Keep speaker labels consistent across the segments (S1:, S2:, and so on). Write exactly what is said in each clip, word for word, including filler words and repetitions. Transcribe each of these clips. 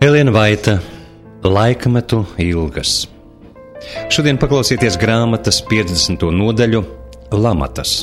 S1: Elena Vaita, Laikmetu ilgas. Šodien paklausieties grāmatas piecdesmito nodaļu Lamatas.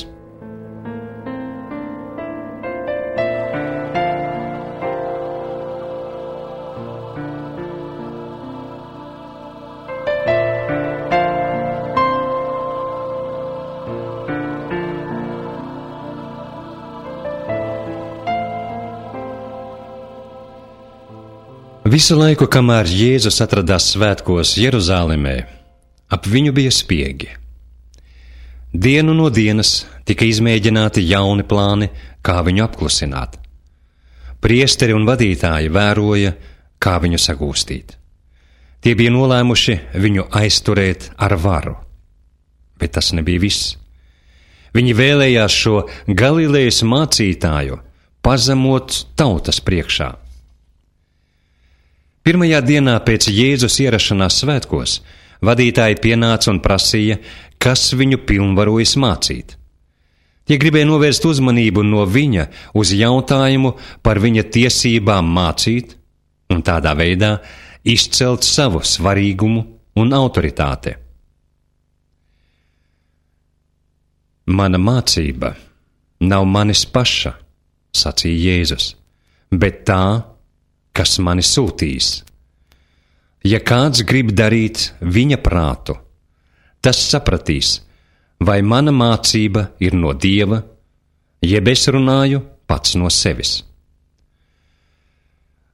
S1: Visu laiku, kamēr Jēzus atradās svētkos Jeruzālēmē, ap viņu bija spiegi. Dienu no dienas tika izmēģināti jauni plāni, kā viņu apklusināt. Priesteri un vadītāji vēroja, kā viņu sagūstīt. Tie bija nolēmuši viņu aizturēt ar varu. Bet tas nebija viss. Viņi vēlējās šo Galilejas mācītāju pazemot tautas priekšā. Pirmajā dienā pēc Jēzus ierašanās svētkos vadītāji pienāca un prasīja, kas viņu pilnvarojas mācīt. Tie gribēja novērst uzmanību no viņa uz jautājumu par viņa tiesībām mācīt un tādā veidā izcelt savu svarīgumu un autoritāti. Mana mācība nav manis paša, sacīja Jēzus, bet tā, kas mani sūtīs. Ja kāds grib darīt viņa prātu, tas sapratīs, vai mana mācība ir no Dieva, jeb es runāju pats no sevis.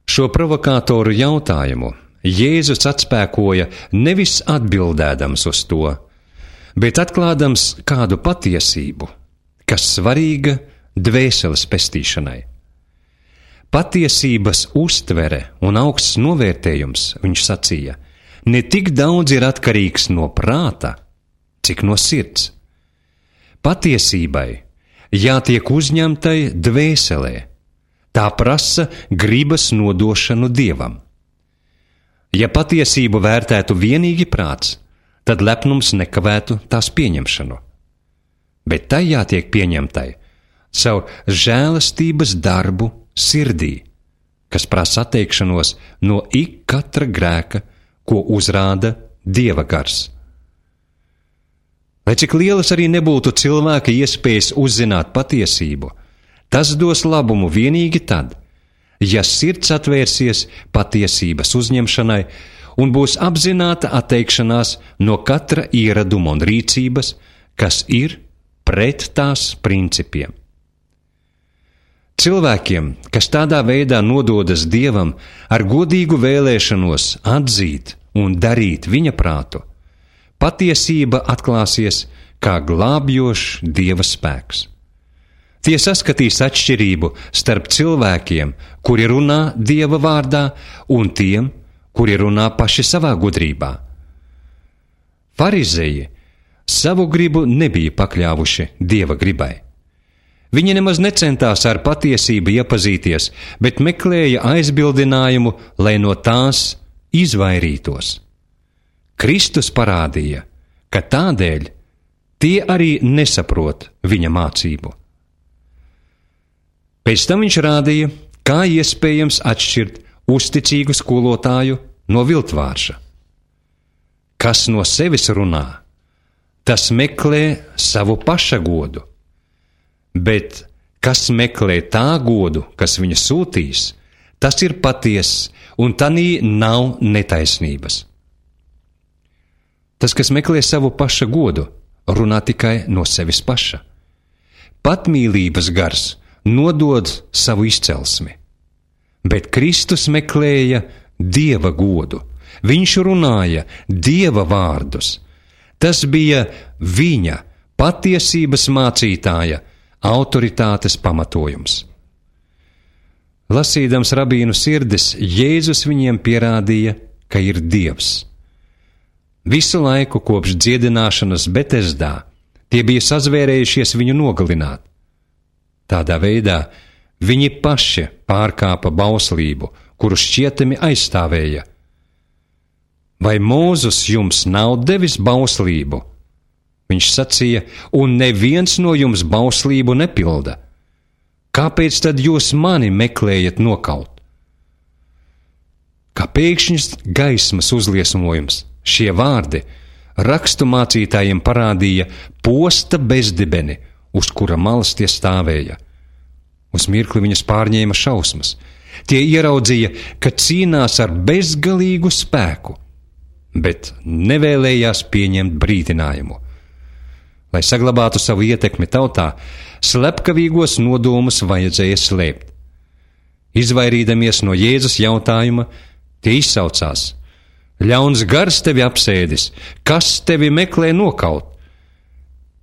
S1: Šo provokātoru jautājumu Jēzus atspēkoja nevis atbildēdams uz to, bet atklādams kādu patiesību, kas svarīga dvēseles pestīšanai. Patiesības uztvere un augsts novērtējums, viņš sacīja, ne tik daudz ir atkarīgs no prāta, cik no sirds. Patiesībai jātiek uzņemtai dvēselē, tā prasa gribas nodošanu Dievam. Ja patiesību vērtētu vienīgi prāts, tad lepnums nekavētu tās pieņemšanu. Bet tai jātiek pieņemtai caur žēlastības darbu sirdī, kas prasa atteikšanos no ik katra grēka, ko uzrāda Dieva gars. Lai cik lielas arī nebūtu cilvēka iespējas uzzināt patiesību, tas dos labumu vienīgi tad, ja sirds atvērsies patiesības uzņemšanai un būs apzināta atteikšanās no katra ieraduma un rīcības, kas ir pret tās principiem. Cilvēkiem, kas tādā veidā nododas Dievam ar godīgu vēlēšanos atzīt un darīt viņa prātu, patiesība atklāsies kā glābjošs Dieva spēks. Tie saskatīs atšķirību starp cilvēkiem, kuri runā Dieva vārdā, un tiem, kuri runā paši savā gudrībā. Farizeji savu gribu nebija pakļāvuši Dieva gribai. Viņi nemaz necentās ar patiesību iepazīties, bet meklēja aizbildinājumu, lai no tās izvairītos. Kristus parādīja, ka tādēļ tie arī nesaprot viņa mācību. Pēc tam viņš rādīja, kā iespējams atšķirt uzticīgu skolotāju no viltvārša. Kas no sevis runā, tas meklē savu paša godu. Bet kas meklē tā godu, kas viņa sūtīs, tas ir patiess, un tanī nav netaisnības. Tas, kas meklē savu paša godu, runā tikai no sevis paša. Patmīlības gars nodod savu izcelsmi, bet Kristus meklēja Dieva godu. Viņš runāja Dieva vārdus. Tas bija viņa patiesības mācītāja autoritātes pamatojums. Lasīdams rabīnu sirdis, Jēzus viņiem pierādīja, ka ir Dievs. Visu laiku kopš dziedināšanas Betesdā tie bija sazvērējušies viņu nogalināt. Tādā veidā viņi paši pārkāpa bauslību, kuru šķietami aizstāvēja. Vai Mūzes jums nav devis bauslību? Viņš sacīja, un neviens no jums bauslību nepilda. Kāpēc tad jūs mani meklējat nokaut? kā pēkšņas gaismas uzliesmojums. Šie vārdi rakstu mācītājiem parādīja posta bezdibeni, uz kura malas tie stāvēja. Uz mirkli viņas pārņēma šausmas. Tie ieraudzīja, ka cīnās ar bezgalīgu spēku, bet nevēlējās pieņemt brīdinājumu. Lai saglabātu savu ietekmi tautā, slepkavīgos nodomus vajadzēja slēpt. Izvairīdamies no Jēzus jautājuma, tie izsaucās: ļauns gars tevi apsēdis, kas tevi meklē nokaut?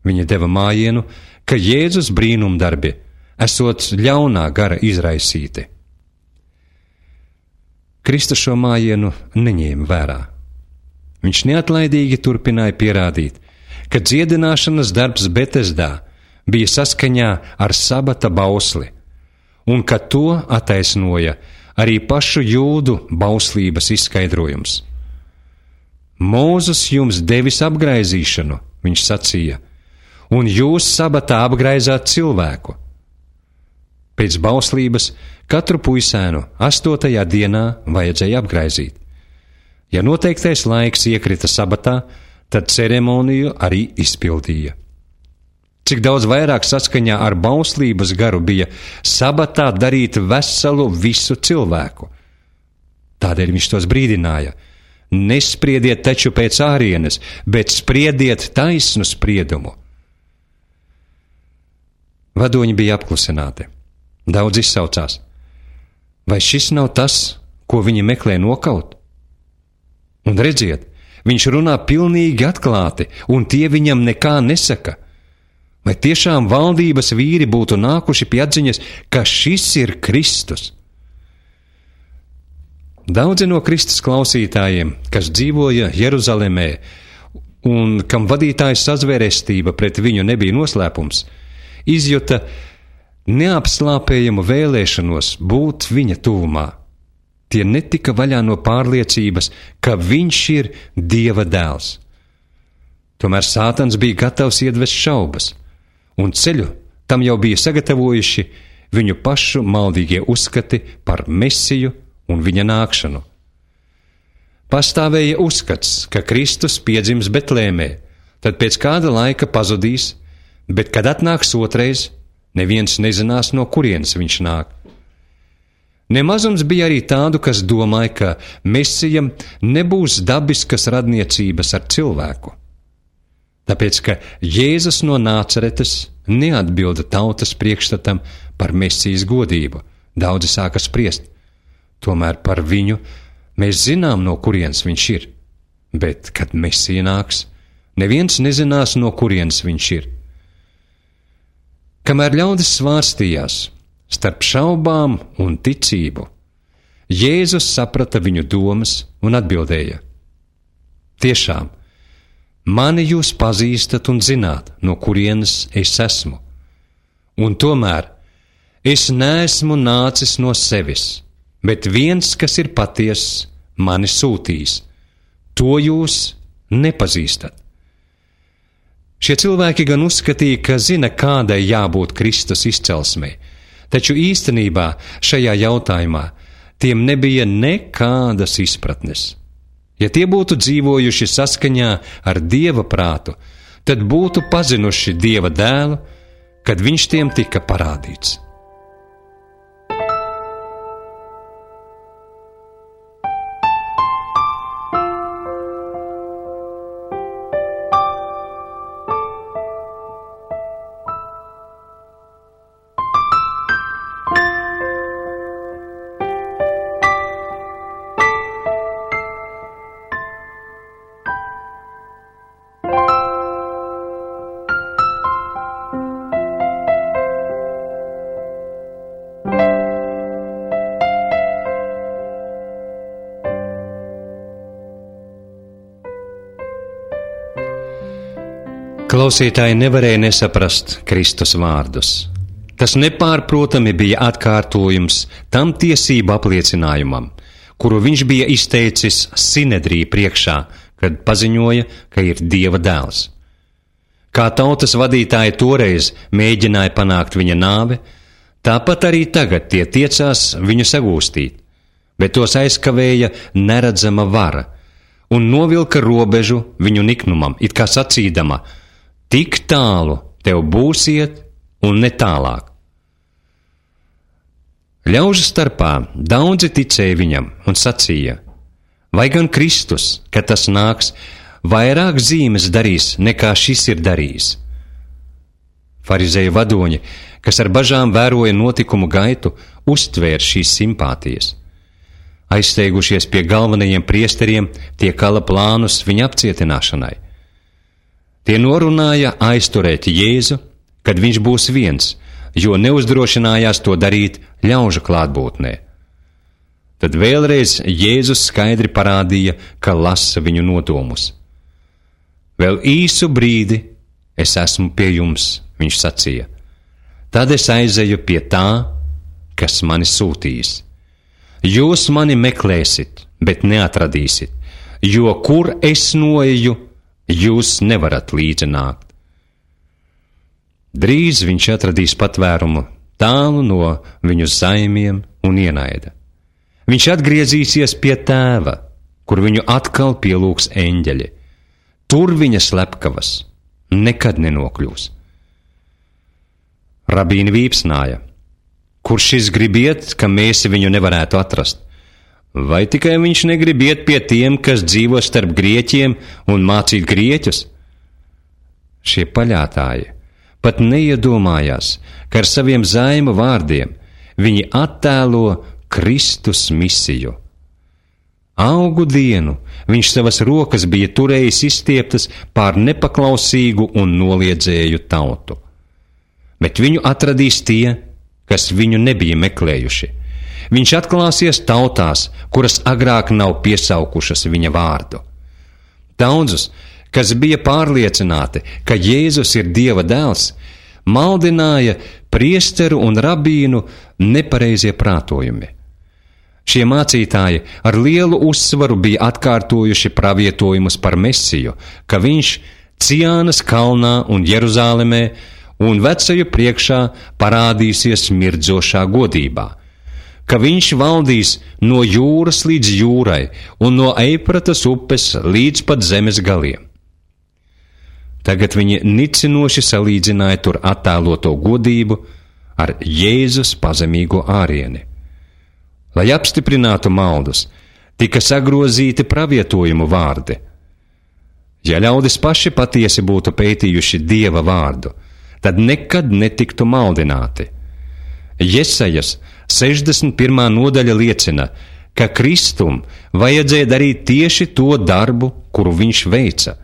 S1: Viņi deva mājienu, ka Jēzus brīnumdarbi esot ļaunā gara izraisīti. Kristus šo mājienu neņēma vērā. Viņš neatlaidīgi turpināja pierādīt, ka dziedināšanas darbs Betesdā bija saskaņā ar sabata bausli, un ka to attaisnoja arī pašu jūdu bauslības izskaidrojums. Mūzes jums devis apgraizīšanu, viņš sacīja, un jūs sabatā apgraizāt cilvēku. Pēc bauslības katru puisēnu astotajā dienā vajadzēja apgraizīt. Ja noteiktais laiks iekrita sabatā, tad ceremoniju arī izpildīja. Cik daudz vairāk saskaņā ar bauslības garu bija sabatā darīt veselu visu cilvēku. Tādēļ viņš tos brīdināja: nespriediet taču pēc ārienes, bet spriediet taisnu spriedumu. Vadoņi bija apklusināti. Daudz izsaucās: vai šis nav tas, ko viņi meklē nokaut? Un redziet, viņš runā pilnīgi atklāti, un tie viņam nekā nesaka. Vai tiešām valdības vīri būtu nākuši pie atziņas, ka šis ir Kristus? Daudzi no Kristus klausītājiem, kas dzīvoja Jeruzalemē un kam vadītājas sazvērestība pret viņu nebija noslēpums, izjuta neapslāpējamu vēlēšanos būt viņa tuvumā. Tie netika vaļā no pārliecības, ka viņš ir Dieva dēls. Tomēr Sātans bija gatavs iedvest šaubas, un ceļu tam jau bija sagatavojuši viņu pašu maldīgie uzskati par Mesiju un viņa nākšanu. Pastāvēja uzskats, ka Kristus piedzims Betlēmē, tad pēc kāda laika pazudīs, bet kad atnāks otrais, neviens nezinās, no kurienes viņš nāk. Nemazums bija arī tādu, kas domāja, ka Mesijam nebūs dabiskas radniecības ar cilvēku. Tāpēc, ka Jēzus no Nācaretes neatbilda tautas priekšstatam par Mesijas godību, daudzi sāka spriest. Tomēr par viņu mēs zinām, no kurienes viņš ir, bet, kad Mesija nāks, neviens nezinās, no kurienes viņš ir. Kamēr ļaudis svārstījās starp šaubām un ticību, Jēzus saprata viņu domas un atbildēja: tiešām, mani jūs pazīstat un zināt, no kurienes es esmu, un tomēr es neesmu nācis no sevis, bet viens, kas ir patiess, mani sūtīs. To jūs nepazīstat. Šie cilvēki gan uzskatīja, ka zina, kādai jābūt Kristus izcelsmei, taču īstenībā šajā jautājumā tiem nebija nekādas izpratnes. Ja tie būtu dzīvojuši saskaņā ar Dieva prātu, tad būtu pazinuši Dieva dēlu, kad viņš tiem tika parādīts. Klausītāji nevarēja nesaprast Kristus vārdus. Tas nepārprotami bija atkārtojums tam tiesību apliecinājumam, kuru viņš bija izteicis Sinedrija priekšā, kad paziņoja, ka ir Dieva dēls. Kā tautas vadītāji toreiz mēģināja panākt viņa nāvi, tāpat arī tagad tie tiecās viņu sagūstīt, bet tos aizkavēja neredzama vara un novilka robežu viņu niknumam, it kā sacīdama: tik tālu tev būsiet un ne tālāk. Ļaužu starpā daudzi ticēja viņam un sacīja: vai gan Kristus, kad tas nāks, vairāk zīmes darīs, nekā šis ir darījis? Farizeju vadoņi, kas ar bažām vēroja notikumu gaitu, uztvēra šīs simpātijas. Aizsteigušies pie galvenajiem priesteriem, tie kala plānus viņa apcietināšanai. Tie norunāja aizturēt Jēzu, kad viņš būs viens, jo neuzdrošinājās to darīt ļaužu klātbūtnē. Tad vēlreiz Jēzus skaidri parādīja, ka lasa viņu nodomus. Vēl īsu brīdi es esmu pie jums, viņš sacīja. Tad es aizeju pie tā, kas mani sūtījis. Jūs mani meklēsit, bet neatradīsit, jo kur es noeju, jūs nevarat līdzi nākt. Drīz viņš atradīs patvērumu tālu no viņu zaimiem un ienaida. Viņš atgriezīsies pie tēva, kur viņu atkal pielūgs eņģeļi. Tur viņa slepkavas nekad nenokļūs. Rabīni vīpsnāja: kur šis grib iet, ka mēs viņu nevarētu atrast? Vai tikai viņš negrib iet pie tiem, kas dzīvo starp grieķiem un mācīt grieķus? Šie paļātāji pat neiedomājās, ka ar saviem zaimu vārdiem viņi attēlo Kristus misiju. Augu dienu viņš savas rokas bija turējis izstieptas pār nepaklausīgu un noliedzēju tautu. Bet viņu atradīs tie, kas viņu nebija meklējuši. Viņš atklāsies tautās, kuras agrāk nav piesaukušas viņa vārdu. Daudzus, kas bija pārliecināti, ka Jēzus ir Dieva dēls, maldināja priesteru un rabīnu nepareizie prātojumi. Šie mācītāji ar lielu uzsvaru bija atkārtojuši pravietojumus par Mesiju, ka viņš Ciānas kalnā un Jeruzālemē un vecaju priekšā parādīsies mirdzošā godībā, ka viņš valdīs no jūras līdz jūrai un no Eifratas upes līdz pat zemes galiem. Tagad viņi nicinoši salīdzināja tur attēloto godību ar Jēzus pazemīgo ārieni. Lai apstiprinātu maldus, tika sagrozīti pravietojumu vārdi. Ja ļaudis paši patiesi būtu pētījuši Dieva vārdu, tad nekad netiktu maldināti. Jesajas sešdesmit pirmā nodaļa liecina, ka Kristum vajadzēja darīt tieši to darbu, kuru viņš veica.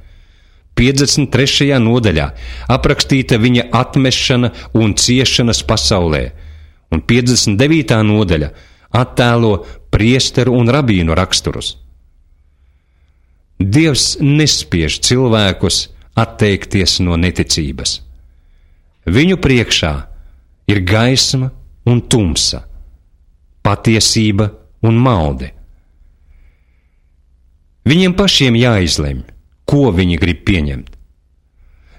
S1: piecdesmit trešajā nodaļā aprakstīta viņa atmešana un ciešanas pasaulē, un piecdesmit devītā nodaļa attēlo priesteru un rabīnu raksturus. Dievs nespiež cilvēkus atteikties no neticības. Viņu priekšā ir gaisma un tumsa, patiesība un malde. Viņiem pašiem jāizlemj, ko viņi grib pieņemt.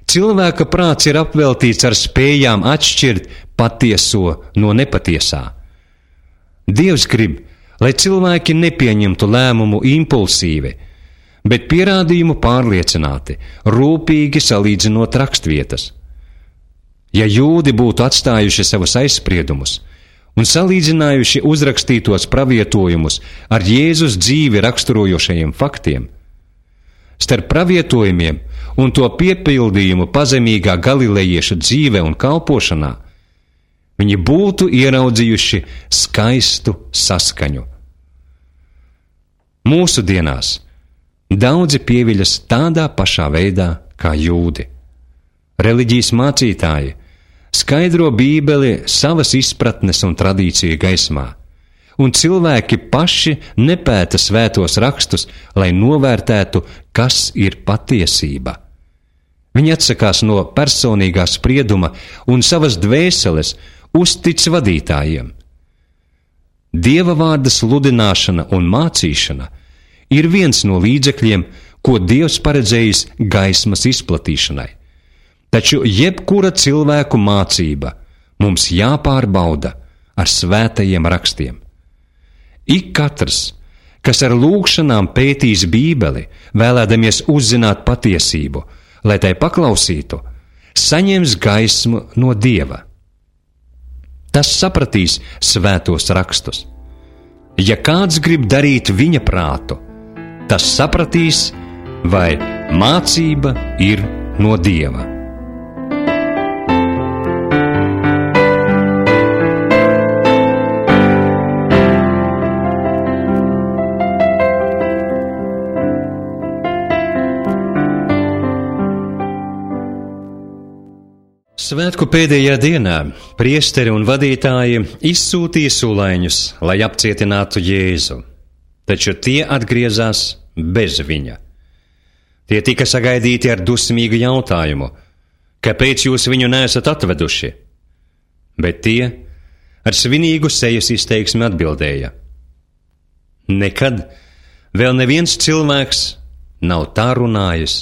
S1: Cilvēka prāts ir apveltīts ar spējām atšķirt patieso no nepatiesā. Dievs grib, lai cilvēki nepieņemtu lēmumu impulsīvi, bet pierādījumu pārliecināti, rūpīgi salīdzinot rakstvietas. Ja jūdi būtu atstājuši savus aizspriedumus un salīdzinājuši uzrakstītos pravietojumus ar Jēzus dzīvi raksturojošajiem faktiem, starp pravietojumiem un to piepildījumu pazemīgā galilejieša dzīve un kalpošanā, viņi būtu ieraudzījuši skaistu saskaņu. Mūsu dienās daudzi pieviļas tādā pašā veidā kā jūdi. Reliģijas mācītāji skaidro Bībeli savas izpratnes un tradīciju gaismā, un cilvēki paši nepēta svētos rakstus, lai novērtētu, kas ir patiesība. Viņi atsakās no personīgā sprieduma un savas dvēseles uztic vadītājiem. Dieva vārda sludināšana un mācīšana ir viens no līdzekļiem, ko Dievs paredzējis gaismas izplatīšanai. Taču jebkura cilvēku mācība mums jāpārbauda ar svētajiem rakstiem. Ik katrs, kas ar lūgšanām pētīs Bībeli, vēlēdamies uzzināt patiesību, lai tai paklausītu, saņems gaismu no Dieva. Tas sapratīs svētos rakstus. Ja kāds grib darīt viņa prātu, tas sapratīs, vai mācība ir no Dieva. Svētku pēdējā dienā priesteri un vadītāji izsūtīja sulaiņus, lai apcietinātu Jēzu, taču tie atgriezās bez viņa. Tie tika sagaidīti ar dusmīgu jautājumu, kāpēc jūs viņu neesat atveduši? Bet tie ar svinīgu sejas izteiksmi atbildēja: nekad vēl neviens cilvēks nav tā runājis,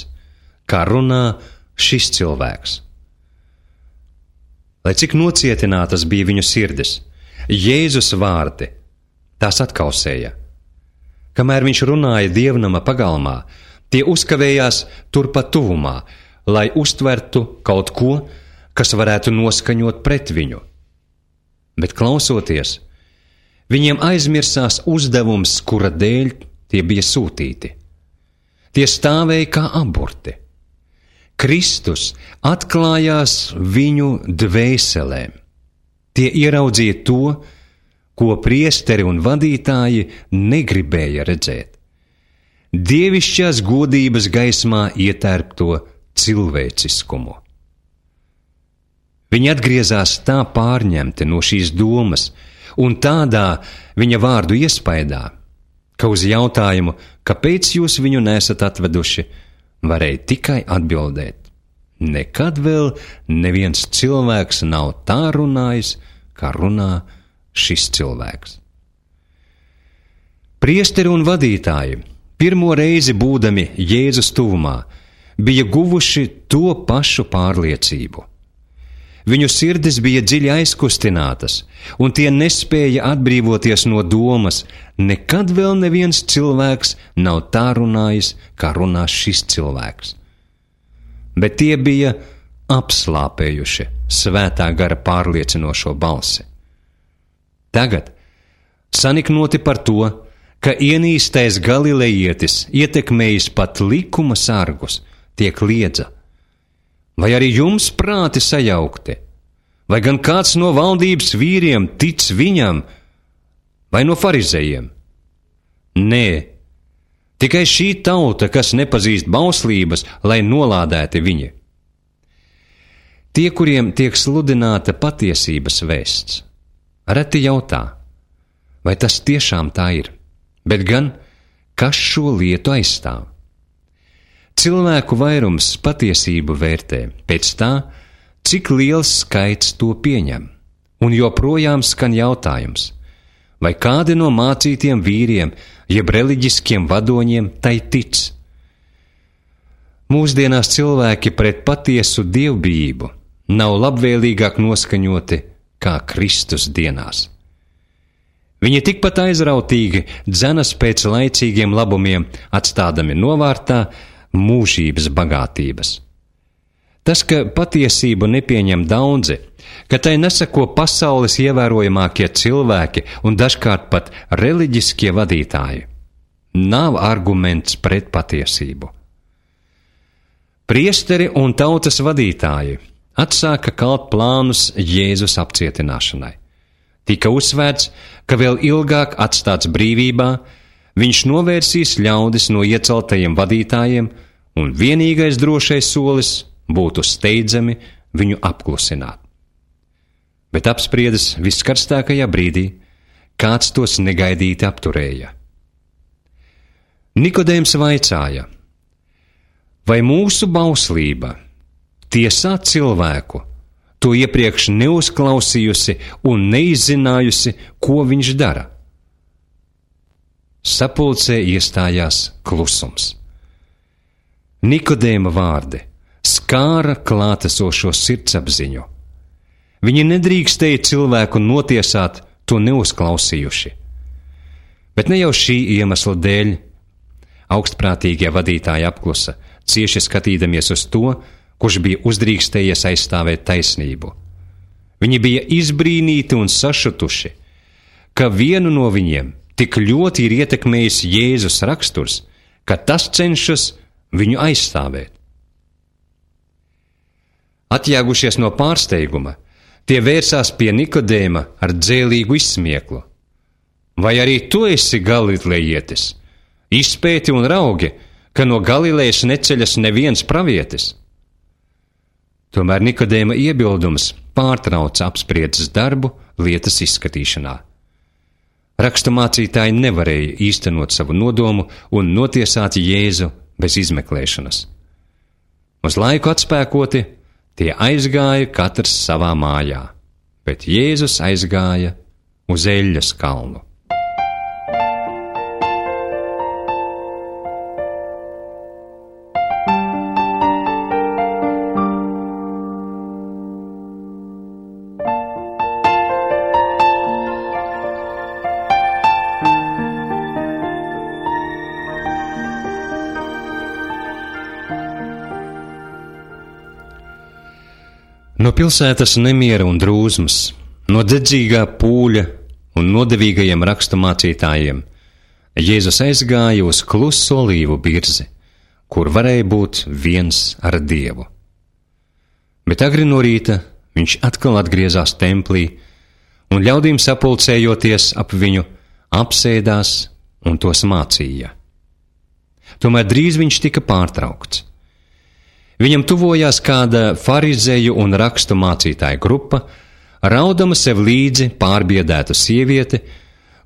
S1: kā runā šis cilvēks. Lai cik nocietinātas bija viņu sirdis, Jēzus vārdi tās atkausēja. Kamēr viņš runāja dievnama pagalmā, tie uzkavējās turpat tuvumā, lai uztvertu kaut ko, kas varētu noskaņot pret viņu. Bet klausoties, viņiem aizmirsās uzdevums, kura dēļ tie bija sūtīti. Tie stāvēja kā aburti. Kristus atklājās viņu dvēselēm. Tie ieraudzīja to, ko priesteri un vadītāji negribēja redzēt. Dievišķās godības gaismā ietērpto cilvēciskumu. Viņi atgriezās tā pārņemti no šīs domas un tādā viņa vārdu iespaidā, ka uz jautājumu, kāpēc jūs viņu nesat atveduši, varēja tikai atbildēt: nekad vēl neviens cilvēks nav tā runājis, kā runā šis cilvēks. Priesteri un vadītāji, pirmo reizi būdami Jēzus tuvumā, bija guvuši to pašu pārliecību. Viņu sirdis bija dziļi aizkustinātas, un tie nespēja atbrīvoties no domas: nekad vēl neviens cilvēks nav tā runājis, kā runā šis cilvēks. Bet tie bija apslāpējuši svētā gara pārliecinošo balsi. Tagad saniknoti par to, ka ienīstais galilejietis, ietekmējis pat likuma sargus, tiek liedza: vai arī jums prāti sajaukti? Vai gan kāds no valdības vīriem tic viņam, vai no farizejiem? Nē, tikai šī tauta, kas nepazīst bauslības, lai nolādēti viņi. Tie, kuriem tiek sludināta patiesības vēsts, reti jautā, vai tas tiešām tā ir, bet gan, kas šo lietu aizstāv. Cilvēku vairums patiesību vērtē pēc tā, cik liels skaits to pieņem, un joprojām skan jautājums, vai kādi no mācītiem vīriem, jeb reliģiskiem vadoņiem tai tic. Mūsdienās cilvēki pret patiesu dievbijību nav labvēlīgāk noskaņoti kā Kristus dienās. Viņi tikpat aizrautīgi dzenas pēc laicīgiem labumiem, atstādami novārtā mūžības bagātības. Tas, ka patiesību nepieņem daudzi, ka tai nesako pasaules ievērojamākie cilvēki un dažkārt pat reliģiskie vadītāji, nav arguments pret patiesību. Priesteri un tautas vadītāji atsāka kalt plānus Jēzus apcietināšanai. Tika uzsvērts, ka vēl ilgāk atstāts brīvībā, viņš novērsīs ļaudis no ieceltajiem vadītājiem, un vienīgais drošais solis būtu steidzami viņu apklusināt. Bet apspriedas viskarstākajā brīdī, kāds tos negaidīti apturēja. Nikodēms vaicāja: vai mūsu bauslība tiesā cilvēku, to iepriekš neuzklausījusi un neizzinājusi, ko viņš dara? Sapulcē iestājās klusums. Nikodēma vārdi skāra klātesošo sirdsapziņu. Viņi nedrīkstēja cilvēku notiesāt, to neuzklausījuši. Bet ne jau šī iemesla dēļ augstprātīgie vadītāji apklusa, cieši skatīdamies uz to, kurš bija uzdrīkstējies aizstāvēt taisnību. Viņi bija izbrīnīti un sašutuši, ka vienu no viņiem tik ļoti ir ietekmējis Jēzus raksturs, ka tas cenšas viņu aizstāvēt. Atjēgušies no pārsteiguma, tie vērsās pie Nikodēma ar dzēlīgu izsmieklu. Vai arī tu esi galilejietis? Izpēti un raugi, ka no Galilejas neceļas neviens pravietis. Tomēr Nikodēma iebildums pārtrauca apspriedzes darbu lietas izskatīšanā. Raksturmācītāji nevarēja īstenot savu nodomu un notiesāt Jēzu bez izmeklēšanas. Uz laiku atspēkoti, tie aizgāja katrs savā mājā, bet Jēzus aizgāja uz Eļļas kalnu. No pilsētas nemiera un drūzmas, no dedzīgā pūļa un nodevīgajiem raksturmācītājiem Jēzus aizgāja uz kluso olīvu birzi, kur varēja būt viens ar Dievu. Bet agri no rīta viņš atkal atgriezās templī un ļaudīm sapulcējoties ap viņu apsēdās un tos mācīja. Tomēr drīz viņš tika pārtraukts. Viņam tuvojās kāda farizēju un rakstu mācītāju grupa, raudama sev līdzi pārbiedēta sieviete,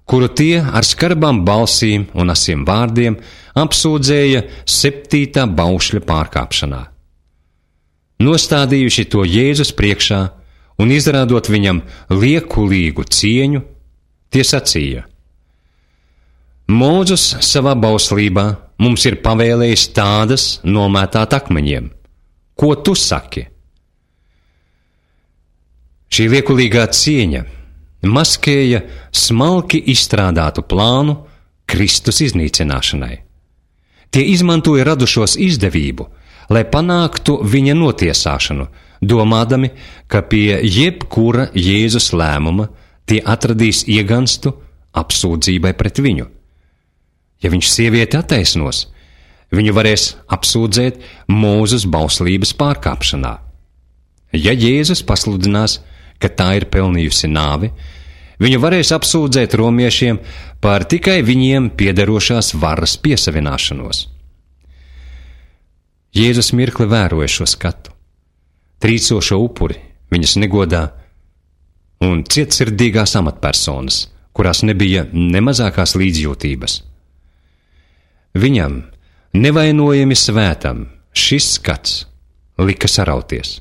S1: kuru tie ar skarbām balsīm un asiem vārdiem apsūdzēja septītā baušļa pārkāpšanā. Nostādījuši to Jēzus priekšā un izrādot viņam liekulīgu cieņu, tie sacīja: Mūzus savā bauslībā mums ir pavēlējis tādas nomētāt akmeņiem. Ko tu saki? Šī liekulīgā cieņa maskēja smalki izstrādātu plānu Kristus iznīcināšanai. Tie izmantoja radušos izdevību, lai panāktu viņa notiesāšanu, domādami, ka pie jebkura Jēzus lēmuma tie atradīs ieganstu apsūdzībai pret viņu. Ja viņš sievieti attaisnos, viņu varēs apsūdzēt Mūzes bauslības pārkāpšanā. Ja Jēzus pasludinās, ka tā ir pelnījusi nāvi, viņu varēs apsūdzēt romiešiem par tikai viņiem piederošās varas piesavināšanos. Jēzus mirkli vēroja šo skatu, trīcošo upuri viņas negodā un cietsirdīgās amatpersonas, kurās nebija ne mazākās līdzjūtības. Viņam, nevainojami svētam, šis skats lika sarauties.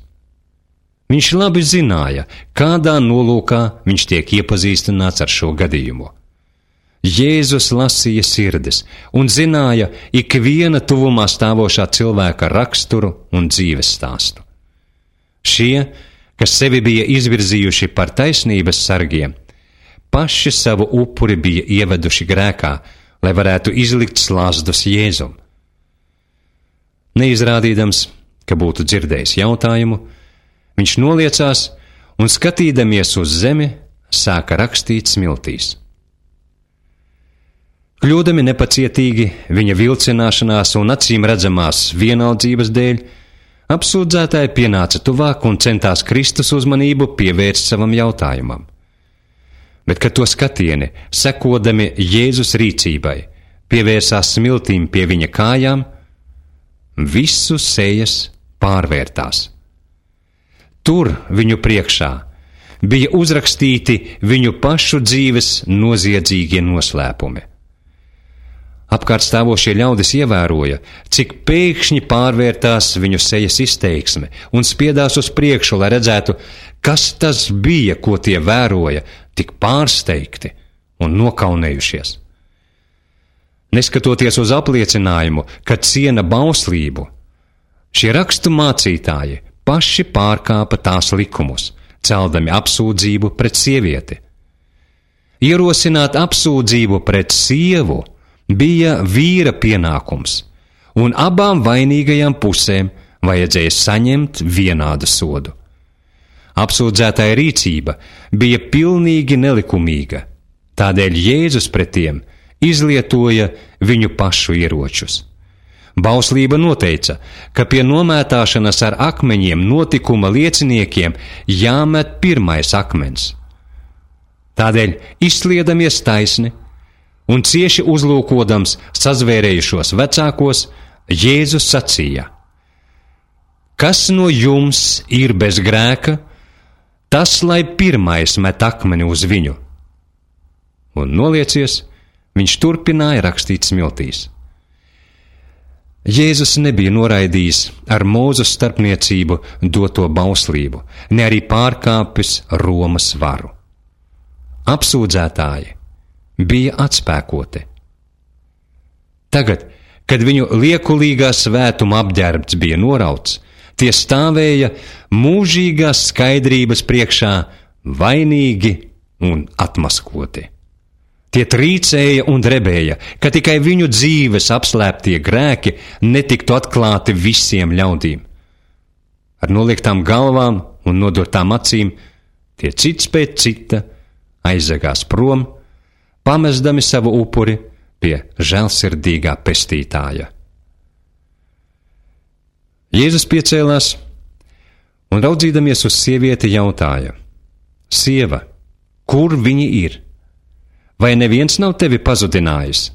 S1: Viņš labi zināja, kādā nolūkā viņš tiek iepazīstināts ar šo gadījumu. Jēzus lasīja sirdis un zināja ikviena tuvumā stāvošā cilvēka raksturu un dzīves stāstu. Šie, kas sevi bija izvirzījuši par taisnības sargiem, paši savu upuri bija ieveduši grēkā, lai varētu izlikt slazdus Jēzum. Neizrādīdams, ka būtu dzirdējis jautājumu, viņš noliecās un, skatīdamies uz zemi, sāka rakstīt smiltīs. Kļūdami nepacietīgi viņa vilcināšanās un acīm redzamās vienaldzības dēļ, apsūdzētāji pienāca tuvāk un centās Kristus uzmanību pievērst savam jautājumam. Bet, kad to skatieni, sekodami Jēzus rīcībai, pievērsās smiltīm pie viņa kājām, visu sejas pārvērtās. Tur viņu priekšā bija uzrakstīti viņu pašu dzīves noziedzīgie noslēpumi. Apkārt stāvošie ļaudis ievēroja, cik pēkšņi pārvērtās viņu sejas izteiksme un spiedās uz priekšu, lai redzētu, kas tas bija, ko tie vēroja, tik pārsteigti un nokaunējušies. Neskatoties uz apliecinājumu, ka ciena bauslību, šie rakstu mācītāji paši pārkāpa tās likumus, celdami apsūdzību pret sievieti. Ierosināt apsūdzību pret sievu bija vīra pienākums, un abām vainīgajām pusēm vajadzēja saņemt vienādu sodu. Apsūdzētāja rīcība bija pilnīgi nelikumīga, tādēļ Jēzus pret tiem izlietoja viņu pašu ieročus. Bauslība noteica, ka pie nomētāšanas ar akmeņiem notikuma lieciniekiem jāmet pirmais akmens. Tādēļ, izsliedamies taisni un cieši uzlūkodams sazvērējušos vecākos, Jēzus sacīja: Kas no jums ir bez grēka, tas lai pirmais met akmeni uz viņu. Un noliecies, viņš turpināja rakstīt smiltīs. Jēzus nebija noraidījis ar Mūzes starpniecību doto bauslību, ne arī pārkāpis Romas varu. Apsūdzētāji bija atspēkoti. Tagad, kad viņu liekulīgā svētuma apģērbts bija norauts, tie stāvēja mūžīgās skaidrības priekšā vainīgi un atmaskoti. Tie trīcēja un drebēja, ka tikai viņu dzīves apslēptie grēki netiktu atklāti visiem ļaudīm. Ar noliektām galvām un nodurtām acīm tie cits pēc cita aizegās prom, pamestami savu upuri pie žēlsirdīgā pestītāja. Jēzus piecēlās un raudzīdamies uz sievieti jautāja: Sieva, kur viņi ir? Vai neviens nav tevi pazudinājis?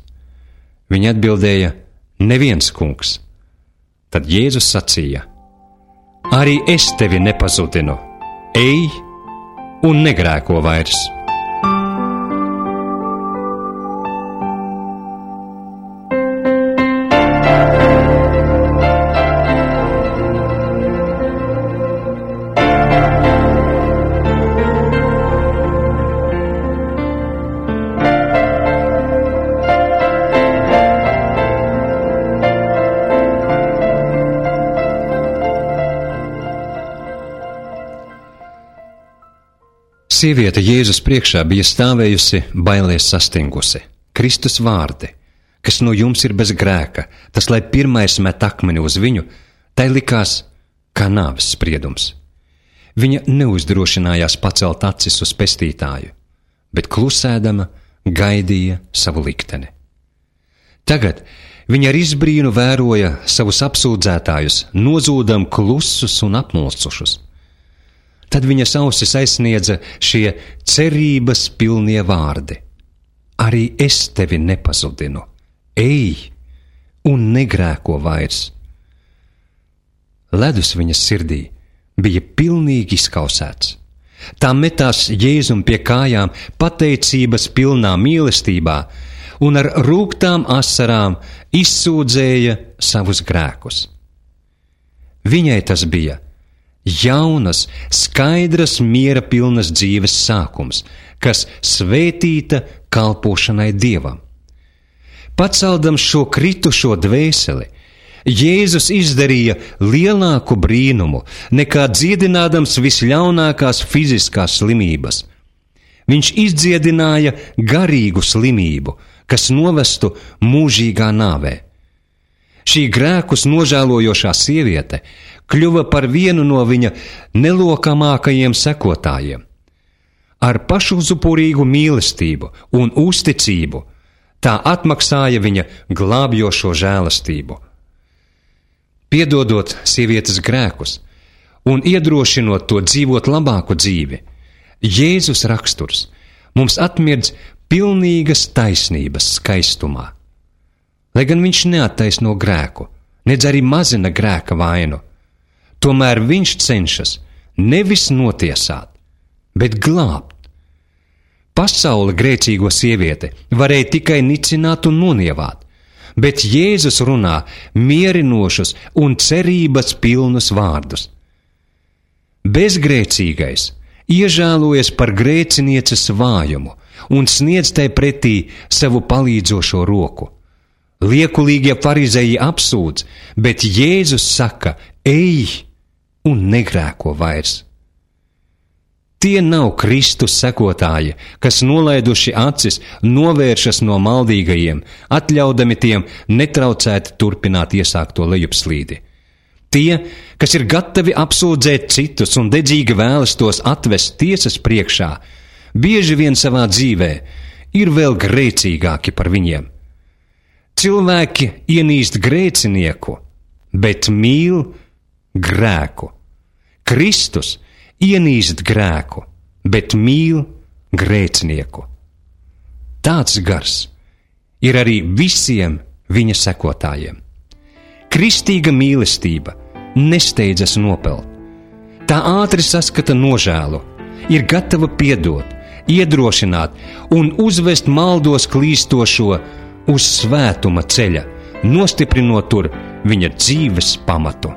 S1: Viņa atbildēja: Neviens, kungs. Tad Jēzus sacīja: Arī es tevi nepazudinu. Ej un negrēko vairs. Sieviete Jēzus priekšā bija stāvējusi bailēs sastingusi. Kristus vārdi: Kas no jums ir bez grēka, tas lai pirmais met akmeni uz viņu, tai likās kā nāves spriedums. Viņa neuzdrošinājās pacelt acis uz pestītāju, bet klusēdama gaidīja savu likteni. Tagad viņa ar izbrīnu vēroja savus apsūdzētājus, nozūdam klusus un apmulsušus. Tad viņas ausis aizsniedza šie cerības pilnie vārdi: Arī es tevi nepazudinu. Ej un negrēko vairs. Ledus viņas sirdī bija pilnīgi izkausēts. Tā metās Jēzum pie kājām pateicības pilnā mīlestībā un ar rūgtām asarām izsūdzēja savus grēkus. Viņai tas bija jaunas, skaidras, miera pilnas dzīves sākums, kas svētīta kalpošanai Dievam. Paceldams šo kritušo dvēseli, Jēzus izdarīja lielāku brīnumu nekā dziedinādams visļaunākās fiziskās slimības. Viņš izdziedināja garīgu slimību, kas novestu mūžīgā nāvē. Šī grēkus nožēlojošā sieviete kļuva par vienu no viņa nelokamākajiem sekotājiem. Ar pašuzupurīgu mīlestību un uzticību tā atmaksāja viņa glābjošo žēlastību. Piedodot sievietes grēkus un iedrošinot to dzīvot labāku dzīvi, Jēzus raksturs mums atmirdz pilnīgas taisnības skaistumā. Lai gan viņš neattaisno grēku, nedz arī mazina grēka vainu, tomēr viņš cenšas nevis notiesāt, bet glābt. Pasaule grēcīgo sievieti varēja tikai nicināt un nonievāt, bet Jēzus runā mierinošus un cerības pilnus vārdus. Bezgrēcīgais iežēlojas par grēcinieces vājumu un sniedz tai pretī savu palīdzošo roku. Liekulīgie farizeji apsūdz, bet Jēzus saka: ej un negrēko vairs. Tie nav Kristus sekotāji, kas nolaiduši acis, novēršas no maldīgajiem, atļaudami tiem netraucēti turpināt iesākto lejupslīdi. Tie, kas ir gatavi apsūdzēt citus un dedzīgi vēlas tos atvest tiesas priekšā, bieži vien savā dzīvē ir vēl grēcīgāki par viņiem. Cilvēki ienīst grēcinieku, bet mīl grēku. Kristus ienīst grēku, bet mīl grēcinieku. Tāds gars ir arī visiem viņa sekotājiem. Kristīga mīlestība nesteidzas nopelt. Tā ātri saskata nožēlu, ir gatava piedot, iedrošināt un uzvest maldos klīstošo uz svētuma ceļa, nostiprinot tur viņa dzīves pamatu.